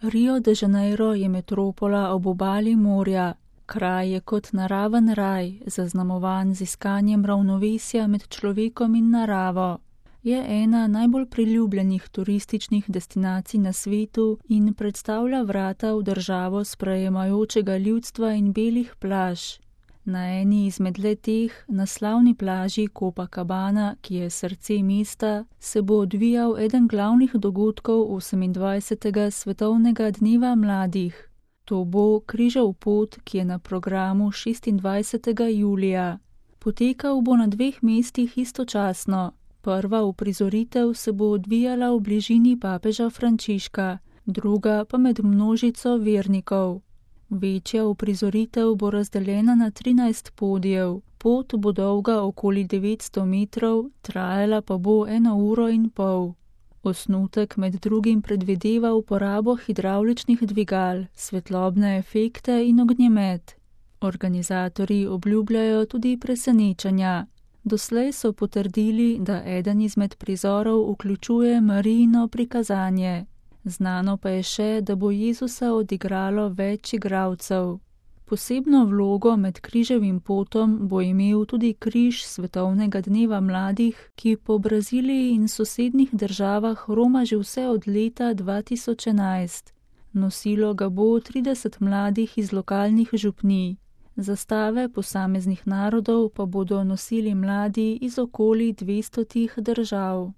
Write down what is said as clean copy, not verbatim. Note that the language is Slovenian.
Rio de Janeiro je metropola ob obali morja. Kraj je kot naraven raj, zaznamovan z iskanjem ravnovesja med človekom in naravo. Je ena najbolj priljubljenih turističnih destinacij na svetu in predstavlja vrata v državo sprejemajočega ljudstva in belih plaž. Na eni izmed le-teh, na slavni plaži Copacabana, ki je srce mesta, se bo odvijal eden glavnih dogodkov 28. svetovnega dneva mladih. To bo Križev pot, ki je na programu 26. julija. Potekal bo na 2 mestih istočasno. Prva uprizoritev se bo odvijala v bližini papeža Frančiška, druga pa med množico vernikov. Večja uprizoritev bo razdeljena na 13 podijev. Pot bo dolga okoli 900 metrov, trajala pa bo 1 uro in pol. Osnutek med drugim predvideva uporabo hidravličnih dvigal, svetlobne efekte in ognjemet. Organizatorji obljubljajo tudi presenečenja. Doslej so potrdili, da eden izmed prizorov vključuje Marijino prikazanje. Znano pa je še, da bo Jezusa odigralo več igralcev. Posebno vlogo med križevim potom bo imel tudi križ svetovnega dneva mladih, ki po Braziliji in sosednjih državah roma že vse od leta 2011. Nosilo ga bo 30 mladih iz lokalnih župnij. Zastave posameznih narodov pa bodo nosili mladi iz okoli 200 držav.